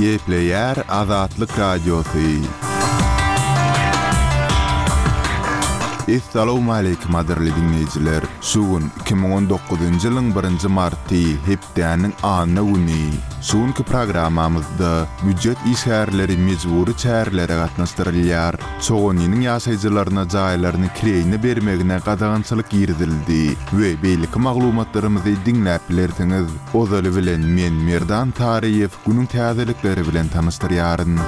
Gepleýär Azatlyk Radiosy. Essalawmaleýkim gadyrly diňleýjiler! Şu gün 2019-njy ýylyň birinji marty, hepdäniň anna güni. Şu günki programmamyzda býujet işgärleri mejbury çärelere gatnaşdyrylýar. Çoganynyň ýaşaýjylaryna jaýlaryny kireýine bermegine gadagançylyk girizildi we beýleki maglumatlarymyzy diňläp bilersiňiz. Ozaly bilen men Merdan Taryýew günüň täzelikleri bilen tanyşdyrýaryn.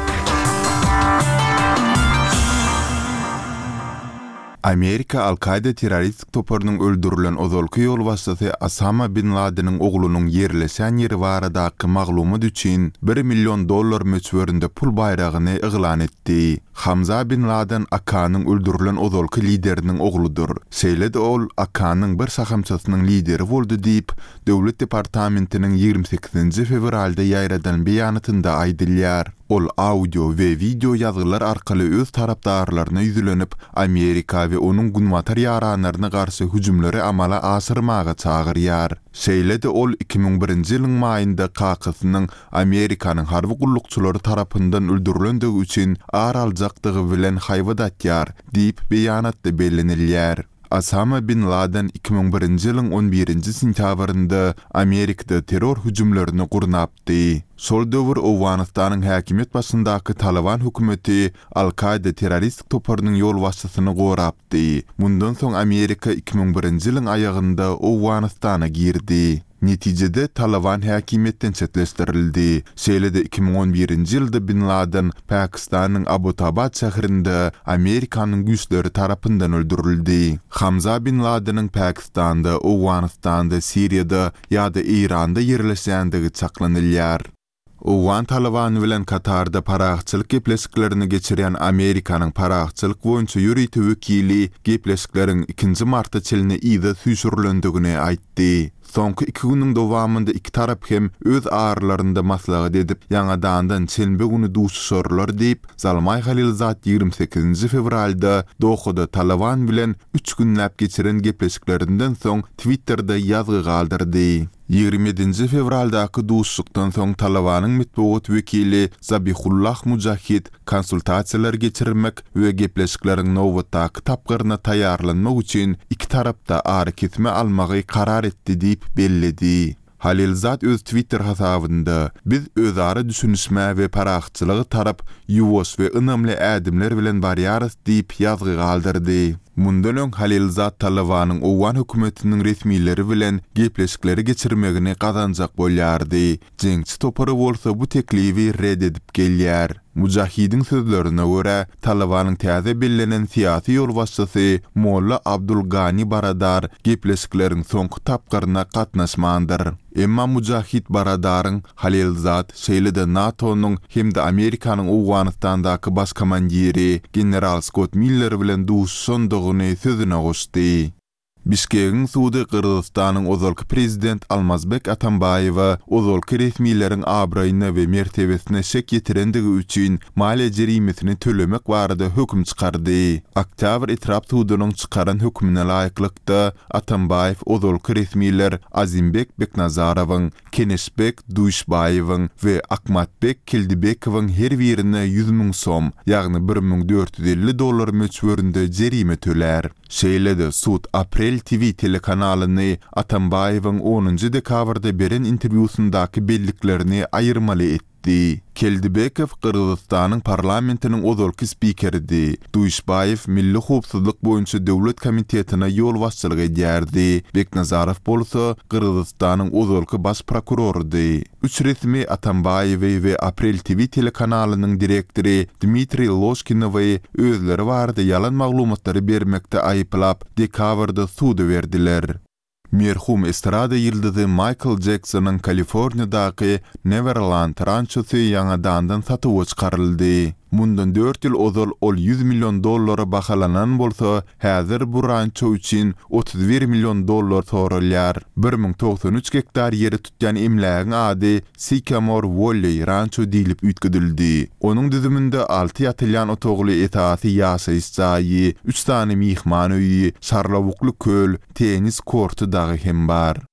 Amerika Al-Kaýda terroristik toparynyň öldürilen ozalky ýolbaşçysy Osama bin Ladeniň oglunyň ýerleşen ýeri baradaky maglumat üçin bir million dollar möçberinde pul baýragyny yglan etdi. Hamza bin Laden AK-nyň öldürilen ozalky lideriniň ogludyr. Şeýle-de ol AK-nyň bir şahamçasynyň lideri boldy diýip, Döwlet departamentiniň 28-nji fewralda ýaýradan beýanatynda aýdylýar. Ol audio we wideo ýazgylar arkaly öz tarapdarlaryna ýüzlenip, Amerika we onuň günbatar ýaranlaryna garşy hüjümleri amala aşyrmaga çagyrýar. Şeýle-de ol 2001-nji ýylyň maýynda kakasynyň Amerikanyň harby gullukçylary tarapyndan öldürilendigi üçin ar aljakdygy bilen haýbat atýar diýip, beýanatda bellenilýär. Osama bin Laden 2001-nji ýylyň on birinji sentýabrynda Amerikada terror hüjümlerini gurnapdy. Şol döwür Owganystanyň häkimiýet başyndaky Talyban hökümeti Al-Kaýda terroristik toparynyň ýolbaşçysyny gorapdy. Mundan soň Amerika 2001-nji ýylyň aýagynda Owganystana girdi. Netijede, Talyban häkimiýetden çetleşdirildi. Şeýle-de 2011-nji ýylda bin Laden Pakistanyň Abbottabad şäherinde Amerikanyň güýçleri tarapyndan öldürildi. Hamza bin Ladeniň Pakistanda, Owganystanda, Siriýada ýa-da Eýranda ýerleşýändigi çaklanylýar. Owgan Talybany bilen Katarda parahatçylyk gepleşiklerini geçirýän Amerikanyň parahatçylyk boýunça ýörite wekili gepleşikleriň ikinji marta çenli yza süýşürilendigini aýtdy. Soňky iki günüň dowamynda iki tarap hem öz aralarynda maslahat edip, ýaňadandan şenbe güni duşuşarlar diýip, Zalmaý Halilzad 28-nji fewralda Dohada Talyban bilen üç günläp geçiren gepleşiklerinden soň Twitterde ýazgy galdyrdy. 27-nji fewraldaky duşuşykdan soň Talybanyň metbugat wekili Zabihullah Mujahid konsultasiýalar geçirmek we gepleşikleriň nobatdaky tapgyryna taýýarlanmak üçin iki tarapda arakesme almagy karar etdi diýip belledi. Halilzad öz Twitter hasabynda, Biz özara düşünişmä we parahatçylyga tarap ýuwaş we ynamly ädimler bilen barýarys diýip ýazgy galdyrdy. Mundan öň Halilzad Talybanyň owgan hökümetiniň resmileri bilen gepleşikleri geçirmegini gazanjak bolýardy. Jeňçi topary bolsa bu teklibi ret edip gelýär. Mujahidiň sözlerine görä, Talybanyň täze bellenen syýasy ýolbaşçysy Molla Abdul Gani Baradar gepleşikleriň soňky tapgyryna gatnaşmandyr. Emma Mujahid Baradaryň Halilzad, şeýle-de NATO-nyň hem-de Amerikanyň Owganystandaky baş komandiri general Skott Miller bilen duşuşandygyny sözüne goşdy. Bişkegiň sudy Gyrgyzystanyň ozalky prezident Almazbek Atambaýewe ozalky resmileriň abraýyna we mertebesine şek ýetirendigi üçin maliýe jerimesini tölemek barada höküm çykardy. Oktýabr etrap sudunyň çykaran hökümine laýyklykda, Atambaýew ozalky resmiler Azimbek Beknazarowyň, Keneşbek Duýşbaýewiň we Akmatbek Keldibekowyň her birine 100 müň som, ýagny 1450 dollar möçberinde jerime tölär. Şeýle-de sud Aprel TV telekanalyny Atambaýewiň onunjy dekabrda beren interwýusyndaky belliklerini aýyrmaly etdi. Keldibekow Gyrgyzystanyň parlamentiniň ozalky spikeridi. Duýşbaýew Milli howpsuzlyk boýunça döwlet komitetine ýolbaşçylyk edýärdi. Beknazarow bolsa Gyrgyzystanyň ozalky baş prokurorydy. Üç resmi Atambaýewi we Aprel TV telekanalynyň direktory Dmitriý Ložkinowy özleri barada ýalan maglumatlary bermekde aýyplap, dekabrda suda berdiler. Merhum estrada ýyldyzy Maýkl Jeksonyň Kaliforniýadaky Newerland rançosy ýaňadandan satuwa çykaryldy. Mundan dört ýyl ozal ol 100 million dollara bahalanan bolsa, häzir bu ranço üçin 31 million dollar soralýar. 1093 gektar ýeri tutýan emlägiň ady Sycamore Valley Rancho diýlip üýtgedildi. Onuň düzüminde alty ýatylýan otagly esasy ýaşaýyş jaýy, üç sany myhman öýi, şarlawukly köl, tennis korty dagy hem bar.